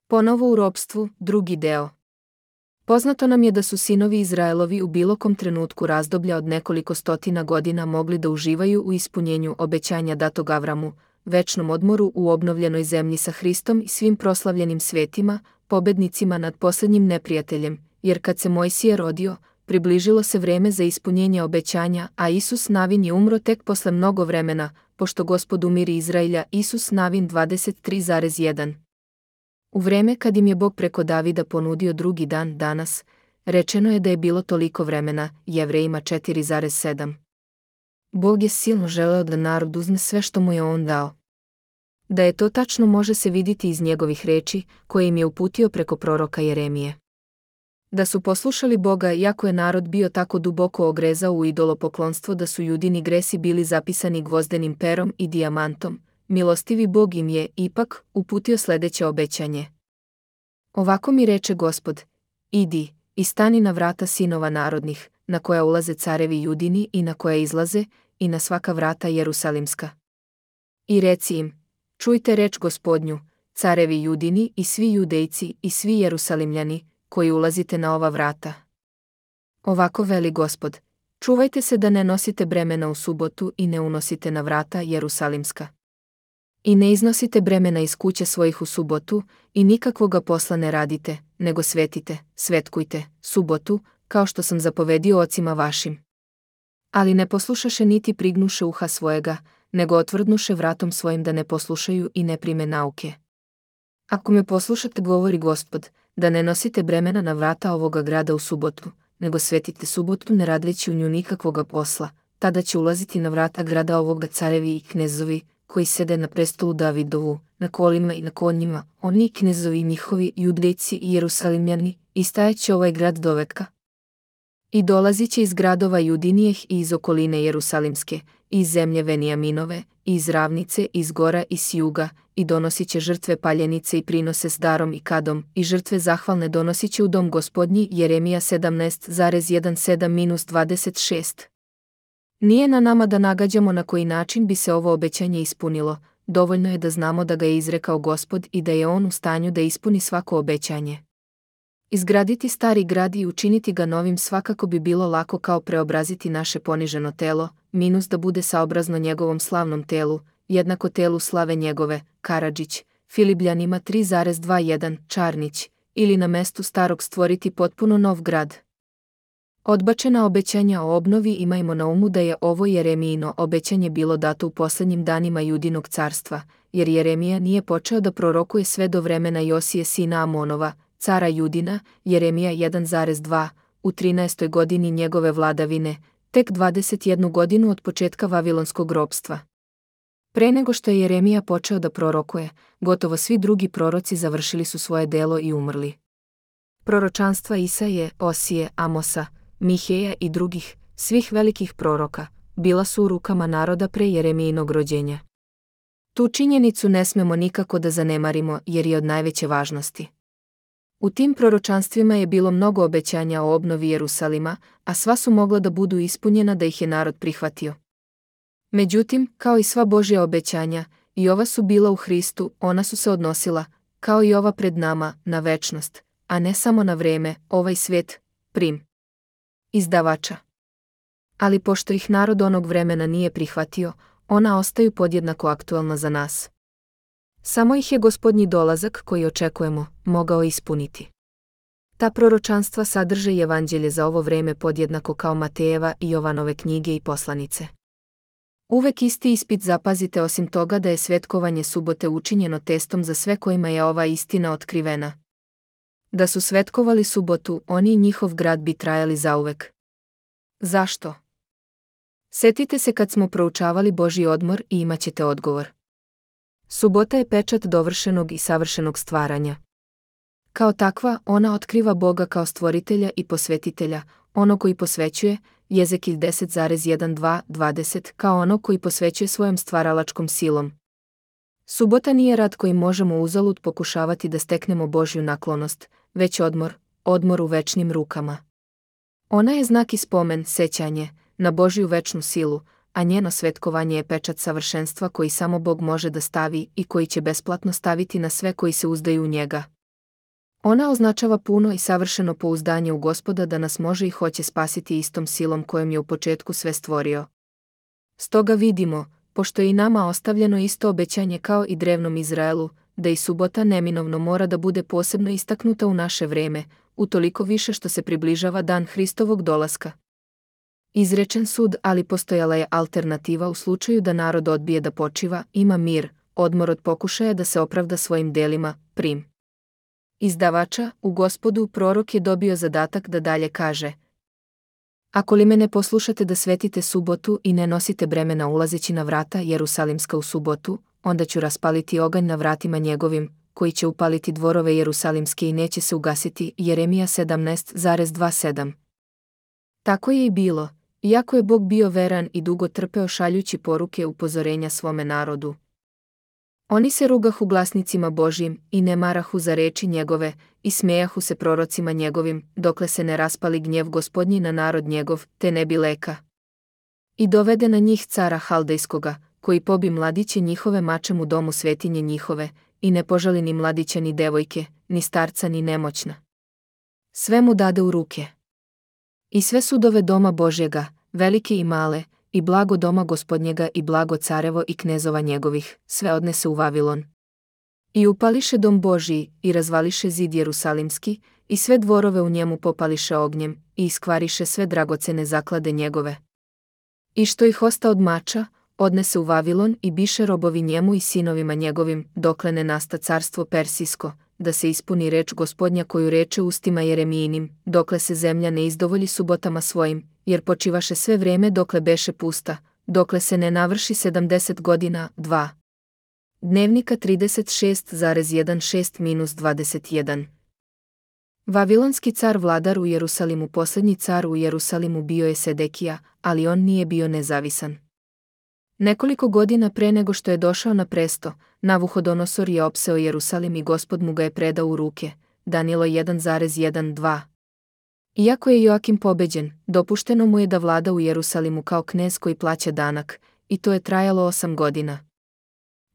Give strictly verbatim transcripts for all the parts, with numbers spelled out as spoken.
Ponovo u ropstvu, drugi deo. Poznato nam je da su sinovi Izraelovi u bilo kom trenutku razdoblja od nekoliko stotina godina mogli da uživaju u ispunjenju obećanja datog Avramu, večnom odmoru u obnovljenoj zemlji sa Hristom i svim proslavljenim svetima, pobednicima nad posljednjim neprijateljem, jer kad se Mojsije rodio, približilo se vreme za ispunjenje obećanja, a Isus Navin je umro tek posle mnogo vremena, pošto Gospod umiri Izrailja. Isus Navin dvadeset tri zarez jedan. U vreme kad im je Bog preko Davida ponudio drugi dan danas, rečeno je da je bilo toliko vremena, Jevrejima četiri zarez sedam. Bog je silno želeo da narod uzme sve što mu je on dao. Da je to tačno može se vidjeti iz njegovih reči, koje im je uputio preko proroka Jeremije. Da su poslušali Boga, iako je narod bio tako duboko ogrezao u idolopoklonstvo da su Judini gresi bili zapisani gvozdenim perom i dijamantom, milostivi Bog im je, ipak, uputio sljedeće obećanje. Ovako mi reče Gospod: idi i stani na vrata sinova narodnih, na koja ulaze carevi Judini i na koja izlaze, i na svaka vrata Jerusalimska. I reci im: čujte reč Gospodnju, carevi Judini i svi Judejci i svi Jerusalimljani, koji ulazite na ova vrata. Ovako veli Gospod: čuvajte se da ne nosite bremena u subotu i ne unosite na vrata Jerusalimska. I ne iznosite bremena iz kuće svojih u subotu, i nikakvoga posla ne radite, nego svetite, svetkujte, subotu, kao što sam zapovedio ocima vašim. Ali ne poslušaše niti prignuše uha svojega, nego otvrdnuše vratom svojim da ne poslušaju i ne prime nauke. Ako me poslušate, govori Gospod, da ne nosite bremena na vrata ovoga grada u subotu, nego svetite subotu ne radeći u nju nikakvoga posla, tada će ulaziti na vrata grada ovoga carevi i knezovi, koji sede na prestolu Davidovu, na kolima i na konjima, oni knezovi njihovi, Judejci i Jerusalimljani, i stajaće ovaj grad doveka. I dolazit će iz gradova Judinijeh i iz okoline Jerusalimske, i iz zemlje Venijaminove, i iz ravnice, i iz gora i s juga, i donosit će žrtve paljenice i prinose s darom i kadom, i žrtve zahvalne donosit će u dom Gospodnji. Jeremija sedamnaest zarez sedamnaest dvadeset šest. Nije na nama da nagađamo na koji način bi se ovo obećanje ispunilo, dovoljno je da znamo da ga je izrekao Gospod i da je on u stanju da ispuni svako obećanje. Izgraditi stari grad i učiniti ga novim svakako bi bilo lako kao preobraziti naše poniženo telo, minus da bude saobrazno njegovom slavnom telu, jednako telu slave njegove, Karadžić, Filibljanima tri zarez dvadeset jedan, Čarnić, ili na mestu starog stvoriti potpuno nov grad. Odbačena obećanja o obnovi. Imajmo na umu da je ovo Jeremijino obećanje bilo dato u posljednjim danima Judinog carstva, jer Jeremija nije počeo da prorokuje sve do vremena Josije sina Amonova, cara Judina, Jeremija jedan zarez dva, u trinaestoj godini njegove vladavine, tek dvadeset jednu godinu od početka vavilonskog ropstva. Pre nego što je Jeremija počeo da prorokuje, gotovo svi drugi proroci završili su svoje delo i umrli. Proročanstva Isaije, Osije, Amosa, Miheja i drugih, svih velikih proroka, bila su u rukama naroda pre Jeremijinog rođenja. Tu činjenicu ne smemo nikako da zanemarimo jer je od najveće važnosti. U tim proročanstvima je bilo mnogo obećanja o obnovi Jerusalima, a sva su mogla da budu ispunjena da ih je narod prihvatio. Međutim, kao i sva Božja obećanja, i ova su bila u Hristu, ona su se odnosila, kao i ova pred nama, na večnost, a ne samo na vreme, ovaj svijet, prim. Izdavača. Ali pošto ih narod onog vremena nije prihvatio, ona ostaju podjednako aktualna za nas. Samo ih je Gospodnji dolazak, koji očekujemo, mogao ispuniti. Ta proročanstva sadrže i evanđelje za ovo vreme podjednako kao Matejeva i Jovanove knjige i poslanice. Uvek isti ispit zapazite, osim toga da je svetkovanje subote učinjeno testom za sve kojima je ova istina otkrivena. Da su svetkovali subotu, oni i njihov grad bi trajali zauvek. Zašto? Setite se kad smo proučavali Božji odmor i imaćete odgovor. Subota je pečat dovršenog i savršenog stvaranja. Kao takva, ona otkriva Boga kao stvoritelja i posvetitelja, ono koji posvećuje, Jezekilj deset zarez dvanaest dvadeset, kao ono koji posvećuje svojom stvaralačkom silom. Subota nije rad koji možemo uzalud pokušavati da steknemo Božju naklonost, već odmor, odmor u večnim rukama. Ona je znak i spomen, sećanje, na Božju večnu silu, a njeno svetkovanje je pečat savršenstva koji samo Bog može da stavi i koji će besplatno staviti na sve koji se uzdaju u njega. Ona označava puno i savršeno pouzdanje u Gospoda da nas može i hoće spasiti istom silom kojom je u početku sve stvorio. Stoga vidimo, pošto je i nama ostavljeno isto obećanje kao i drevnom Izraelu, da i subota neminovno mora da bude posebno istaknuta u naše vreme, utoliko više što se približava dan Hristovog dolaska. Izrečen sud, ali postojala je alternativa u slučaju da narod odbije da počiva, ima mir, odmor od pokušaja da se opravda svojim delima, prim. Izdavača, u Gospodu, prorok je dobio zadatak da dalje kaže: Ako li me ne poslušate da svetite subotu i ne nosite bremena ulazeći na vrata Jerusalimska u subotu, onda ću raspaliti oganj na vratima njegovim, koji će upaliti dvorove Jerusalimske i neće se ugasiti. Jeremija sedamnaest dvadeset sedam. Tako je i bilo, iako je Bog bio veran i dugo trpeo šaljući poruke upozorenja svome narodu. Oni se rugahu glasnicima Božjim i ne marahu za reči njegove i smejahu se prorocima njegovim, dokle se ne raspali gnjev Gospodnji na narod njegov, te ne bi leka. I dovede na njih cara Haldejskoga, koji pobi mladiće njihove mačem u domu svetinje njihove, i ne požali ni mladića ni devojke, ni starca ni nemoćna. Sve mu dade u ruke. I sve sudove doma Božjega, velike i male, i blago doma Gospodnjega i blago carevo i knezova njegovih, sve odnese u Vavilon. I upališe dom Božji, i razvališe zid Jerusalimski, i sve dvorove u njemu popališe ognjem, i iskvariše sve dragocene zaklade njegove. I što ih osta od mača, odnese u Vavilon i biše robovi njemu i sinovima njegovim, dokle ne nasta carstvo Persijsko, da se ispuni reč Gospodnja koju reče ustima Jeremijinim, dokle se zemlja ne izdovolji subotama svojim, jer počivaše sve vreme dokle beše pusta, dokle se ne navrši sedamdeset godina. dva. Dnevnika trideset šest šesnaest dvadeset jedan. Vavilonski car vladar u Jerusalimu. Posljednji car u Jerusalimu bio je Sedekija, ali on nije bio nezavisan. Nekoliko godina pre nego što je došao na presto, Navuhodonosor je opseo Jerusalim i Gospod mu ga je predao u ruke. Danilo jedan jedan dva. Iako je Joakim pobeđen, dopušteno mu je da vlada u Jerusalimu kao knez koji plaća danak, i to je trajalo osam godina.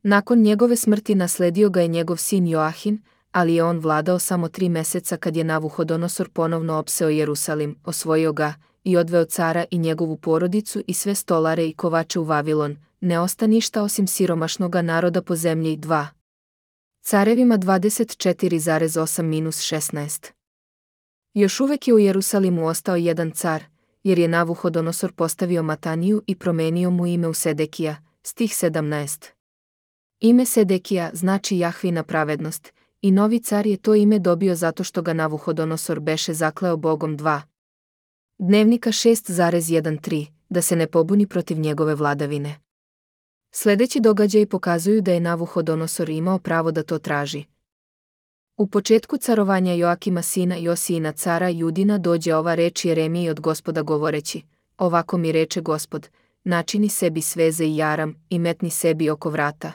Nakon njegove smrti nasledio ga je njegov sin Joahin, ali je on vladao samo tri meseca kad je Navuhodonosor ponovno opseo Jerusalim, osvojio ga i odveo cara i njegovu porodicu i sve stolare i kovače u Vavilon, ne osta ništa osim siromašnoga naroda po zemlji. dva. Carevima dvadeset četiri osam šesnaest. Još uvek je u Jerusalimu ostao jedan car, jer je Navuhodonosor postavio Mataniju i promenio mu ime u Sedekija, stih sedamnaest. Ime Sedekija znači Jahvina pravednost, i novi car je to ime dobio zato što ga Navuhodonosor beše zakleo Bogom. dva. Dnevnika šest trinaest, da se ne pobuni protiv njegove vladavine. Sljedeći događaji pokazuju da je Navuhodonosor imao pravo da to traži. U početku carovanja Joakima sina Josijina cara Judina dođe ova reč Jeremiji od Gospoda govoreći: Ovako mi reče Gospod, načini sebi sveze i jaram i metni sebi oko vrata.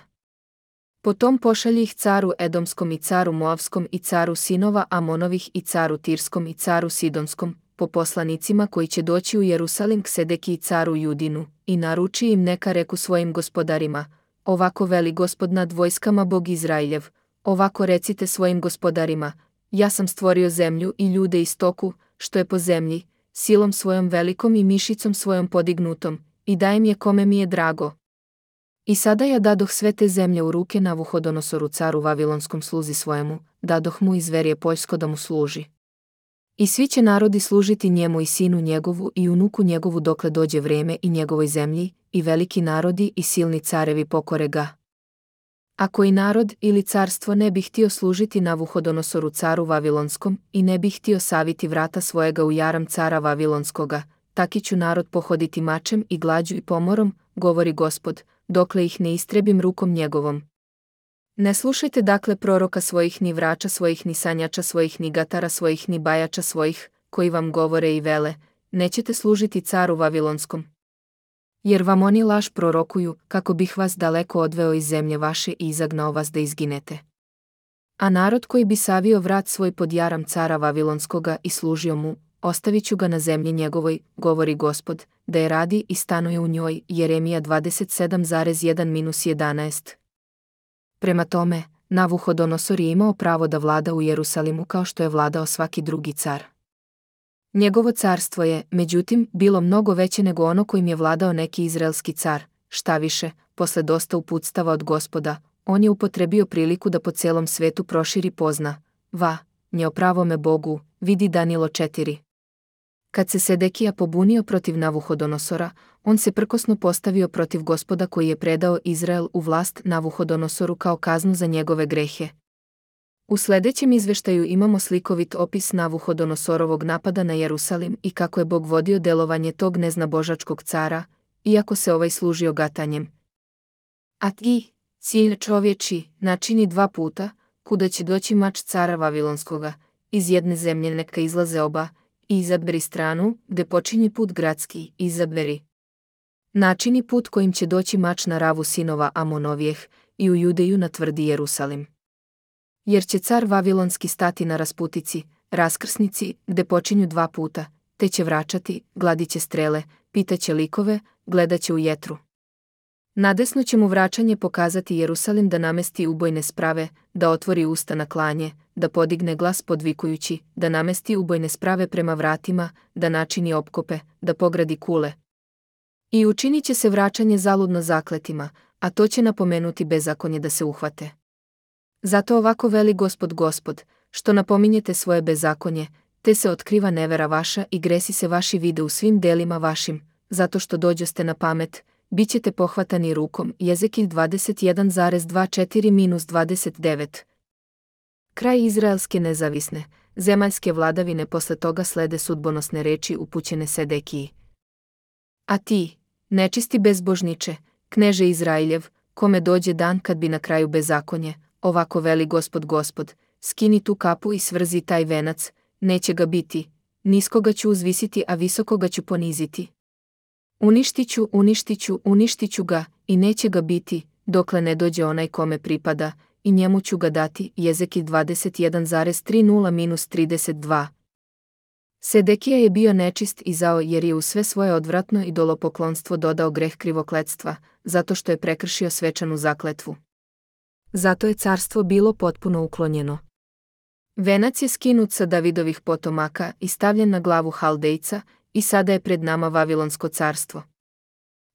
Potom pošalji ih caru Edomskom i caru Moavskom i caru sinova Amonovih i caru Tirskom i caru Sidonskom, po poslanicima koji će doći u Jerusalim k Sedekiji caru Judinu, i naruči im neka reku svojim gospodarima: Ovako veli Gospod nad vojskama Bog Izrailjev, ovako recite svojim gospodarima: Ja sam stvorio zemlju i ljude i stoku, što je po zemlji, silom svojom velikom i mišicom svojom podignutom, i dajem je kome mi je drago. I sada ja dadoh sve te zemlje u ruke Navuhodonosoru caru Vavilonskom sluzi svojemu, dadoh mu i zverje poljsko da mu služi. I svi će narodi služiti njemu i sinu njegovu i unuku njegovu dokle dođe vreme i njegovoj zemlji, i veliki narodi i silni carevi pokore ga. Ako i narod ili carstvo ne bi htio služiti Navuhodonosoru caru Vavilonskom i ne bi htio saviti vrata svojega u jaram cara Vavilonskoga, taki ću narod pohoditi mačem i glađu i pomorom, govori Gospod, dokle ih ne istrebim rukom njegovom. Ne slušajte dakle proroka svojih, ni vrača svojih, ni sanjača svojih, ni gatara svojih, ni bajača svojih, koji vam govore i vele: Nećete služiti caru Vavilonskom. Jer vam oni laž prorokuju, kako bih vas daleko odveo iz zemlje vaše i izagnao vas da izginete. A narod koji bi savio vrat svoj pod jaram cara Vavilonskoga i služio mu, ostavit ću ga na zemlji njegovoj, govori Gospod, da je radi i stanuje u njoj. Jeremija dvadeset sedam jedan jedanaest. Prema tome, Navuhodonosor je imao pravo da vlada u Jerusalimu kao što je vladao svaki drugi car. Njegovo carstvo je, međutim, bilo mnogo veće nego ono kojim je vladao neki izraelski car. Šta više, posle dosta uputstava od Gospoda, on je upotrebio priliku da po celom svetu proširi pozna, va, nje o pravome Bogu, vidi Danilo četiri. Kad se Sedekija pobunio protiv Navuhodonosora, on se prkosno postavio protiv Gospoda koji je predao Izrael u vlast Navuhodonosoru kao kaznu za njegove grehe. U sledećem izveštaju imamo slikovit opis Navuhodonosorovog napada na Jerusalim i kako je Bog vodio delovanje tog neznabožačkog cara, iako se ovaj služio gatanjem. A ti, cilj čovječi, načini dva puta, kuda će doći mač cara Vavilonskoga, iz jedne zemlje neka izlaze oba, i izaberi stranu, gde počinje put gradski, izaberi. Načini put kojim će doći mač na Ravu sinova Amonovijeh i u Judeju na tvrdi Jerusalim. Jer će car Vavilonski stati na rasputici, raskrsnici, gde počinju dva puta, te će vraćati, gladit će strele, pitaće likove, gledat će u jetru. Nadesno će mu vraćanje pokazati Jerusalim da namesti ubojne sprave, da otvori usta na klanje, da podigne glas podvikujući, da namesti ubojne sprave prema vratima, da načini opkope, da pogradi kule. I učinit će se vraćanje zaludno zakletima, a to će napomenuti bezakonje da se uhvate. Zato ovako veli Gospod Gospod, što napominjete svoje bezakonje, te se otkriva nevera vaša i gresi se vaši vide u svim delima vašim, zato što dođoste na pamet, bit ćete pohvatani rukom. Jezekilj dvadeset jedan zarez dvadeset četiri do dvadeset devet. Kraj izraelske nezavisne, zemaljske vladavine posle toga slede sudbonosne reči upućene Sedekiji. A ti, nečisti bezbožniče, kneže Izrailjev, kome dođe dan kad bi na kraju bezakonje, ovako veli Gospod Gospod, skini tu kapu i svrzi taj venac, neće ga biti, niskoga ću uzvisiti, a visokoga ću poniziti. Uništiću, uništiću, uništiću ga, i neće ga biti, dokle ne dođe onaj kome pripada, i njemu ću ga dati. Jezekilj dvadeset jedan zarez trideset do trideset dva. Sedekija je bio nečist i zao jer je u sve svoje odvratno idolopoklonstvo dodao greh krivokletstva, zato što je prekršio svečanu zakletvu. Zato je carstvo bilo potpuno uklonjeno. Venac je skinut sa Davidovih potomaka i stavljen na glavu Haldejca, i sada je pred nama Vavilonsko carstvo.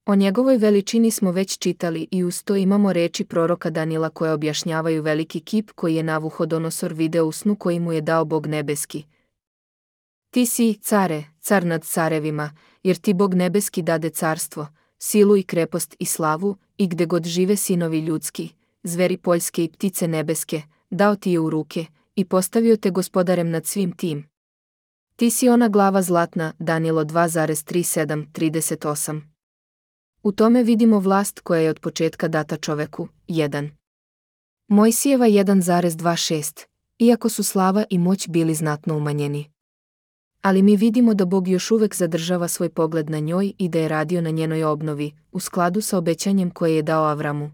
O njegovoj veličini smo već čitali i uz to imamo reči proroka Danila koje objašnjavaju veliki kip koji je Navuhodonosor video u snu koji mu je dao Bog nebeski. Ti si, care, car nad carevima, jer ti Bog nebeski dade carstvo, silu i krepost i slavu, i gde god žive sinovi ljudski, zveri poljske i ptice nebeske, dao ti je u ruke, i postavio te gospodarem nad svim tim. Ti si ona glava zlatna, Danilo dva zarez trideset sedam do trideset osam. U tome vidimo vlast koja je od početka data čoveku. jedan. Mojsijeva jedan zarez dvadeset šest, iako su slava i moć bili znatno umanjeni. Ali mi vidimo da Bog još uvek zadržava svoj pogled na njoj i da je radio na njenoj obnovi, u skladu sa obećanjem koje je dao Avramu.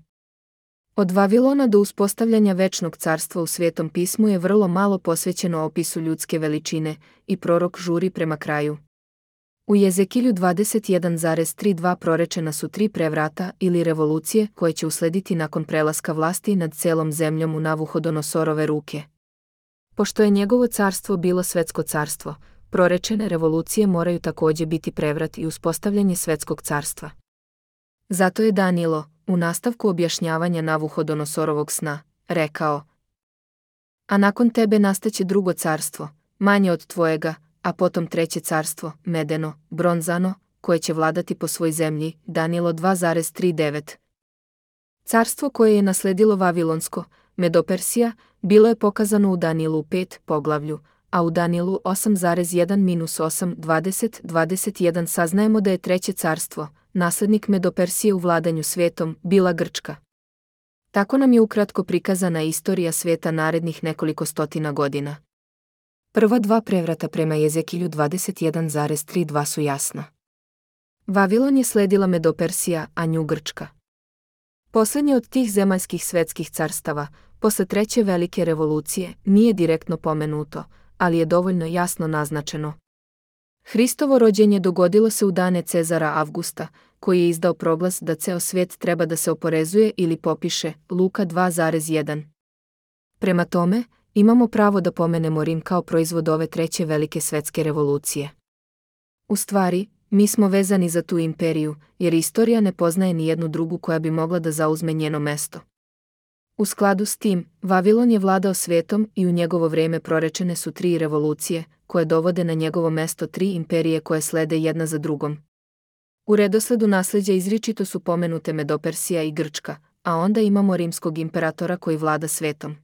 Od Vavilona do uspostavljanja večnog carstva u Svetom pismu je vrlo malo posvećeno opisu ljudske veličine i prorok žuri prema kraju. U Jezekilju dvadeset jedan zarez trideset dva prorečena su tri prevrata ili revolucije koje će uslediti nakon prelaska vlasti nad celom zemljom u Navuhodonosorove ruke. Pošto je njegovo carstvo bilo svetsko carstvo, prorečene revolucije moraju takođe biti prevrat i uspostavljanje svetskog carstva. Zato je Danilo, u nastavku objašnjavanja Navuhodonosorovog sna, rekao: A nakon tebe nastaće drugo carstvo, manje od tvojega, a potom treće carstvo, medeno, bronzano, koje će vladati po svoj zemlji. Danilo dva zarez trideset devet. Carstvo koje je nasledilo Vavilonsko, Medopersija, bilo je pokazano u Danilu pet poglavlju, a u Danilu osam zarez jedan do osam, dvadeset, dvadeset jedan saznajemo da je treće carstvo, naslednik Medopersije u vladanju svetom, bila Grčka. Tako nam je ukratko prikazana istorija sveta narednih nekoliko stotina godina. Prva dva prevrata prema Jezekilju dvadeset jedan zarez trideset dva su jasna. Vavilon je sledila Medopersija, a nju Grčka. Poslednje od tih zemaljskih svetskih carstava, posle treće velike revolucije, nije direktno pomenuto, ali je dovoljno jasno naznačeno. Hristovo rođenje dogodilo se u dane Cezara Avgusta, koji je izdao proglas da ceo svet treba da se oporezuje ili popiše, Luka dva zarez jedan. Prema tome, imamo pravo da pomenemo Rim kao proizvod ove treće velike svetske revolucije. U stvari, mi smo vezani za tu imperiju, jer istorija ne poznaje ni jednu drugu koja bi mogla da zauzme njeno mesto. U skladu s tim, Vavilon je vladao svetom i u njegovo vrijeme prorečene su tri revolucije, koje dovode na njegovo mesto tri imperije koje slede jedna za drugom. U redosledu nasljeđa izričito su pomenute Medopersija i Grčka, a onda imamo rimskog imperatora koji vlada svetom.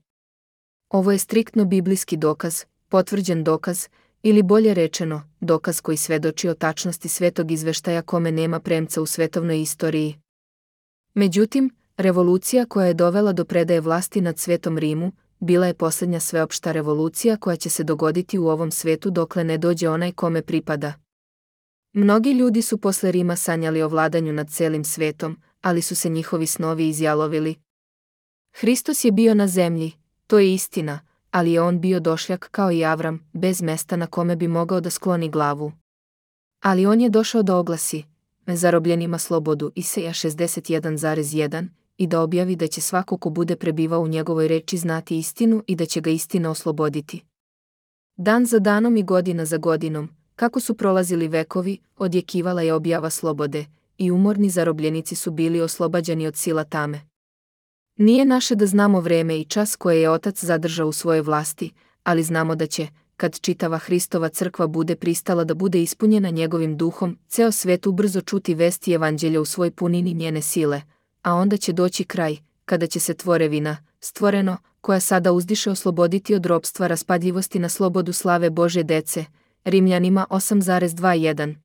Ovo je striktno biblijski dokaz, potvrđen dokaz, ili bolje rečeno, dokaz koji svedoči o tačnosti svetog izveštaja kome nema premca u svetovnoj istoriji. Međutim, revolucija koja je dovela do predaje vlasti nad svetom Rimu, bila je posljednja sveopšta revolucija koja će se dogoditi u ovom svetu dokle ne dođe onaj kome pripada. Mnogi ljudi su posle Rima sanjali o vladanju nad celim svetom, ali su se njihovi snovi izjalovili. Hristos je bio na zemlji, to je istina, ali je on bio došljak kao i Avram, bez mesta na kome bi mogao da skloni glavu. Ali on je došao da oglasi zarobljenima slobodu Isaija šezdeset jedan zarez jedan i da objavi da će svako ko bude prebivao u njegovoj reči znati istinu i da će ga istina osloboditi. Dan za danom i godina za godinom, kako su prolazili vekovi, odjekivala je objava slobode, i umorni zarobljenici su bili oslobađani od sila tame. Nije naše da znamo vreme i čas koje je Otac zadržao u svojoj vlasti, ali znamo da će, kad čitava Hristova crkva bude pristala da bude ispunjena njegovim duhom, ceo svet ubrzo čuti vesti evanđelja u svoj punini njene sile, a onda će doći kraj, kada će se tvorevina, stvoreno, koja sada uzdiše osloboditi od ropstva raspadljivosti na slobodu slave Božje dece, Rimljanima osam zarez dvadeset jedan.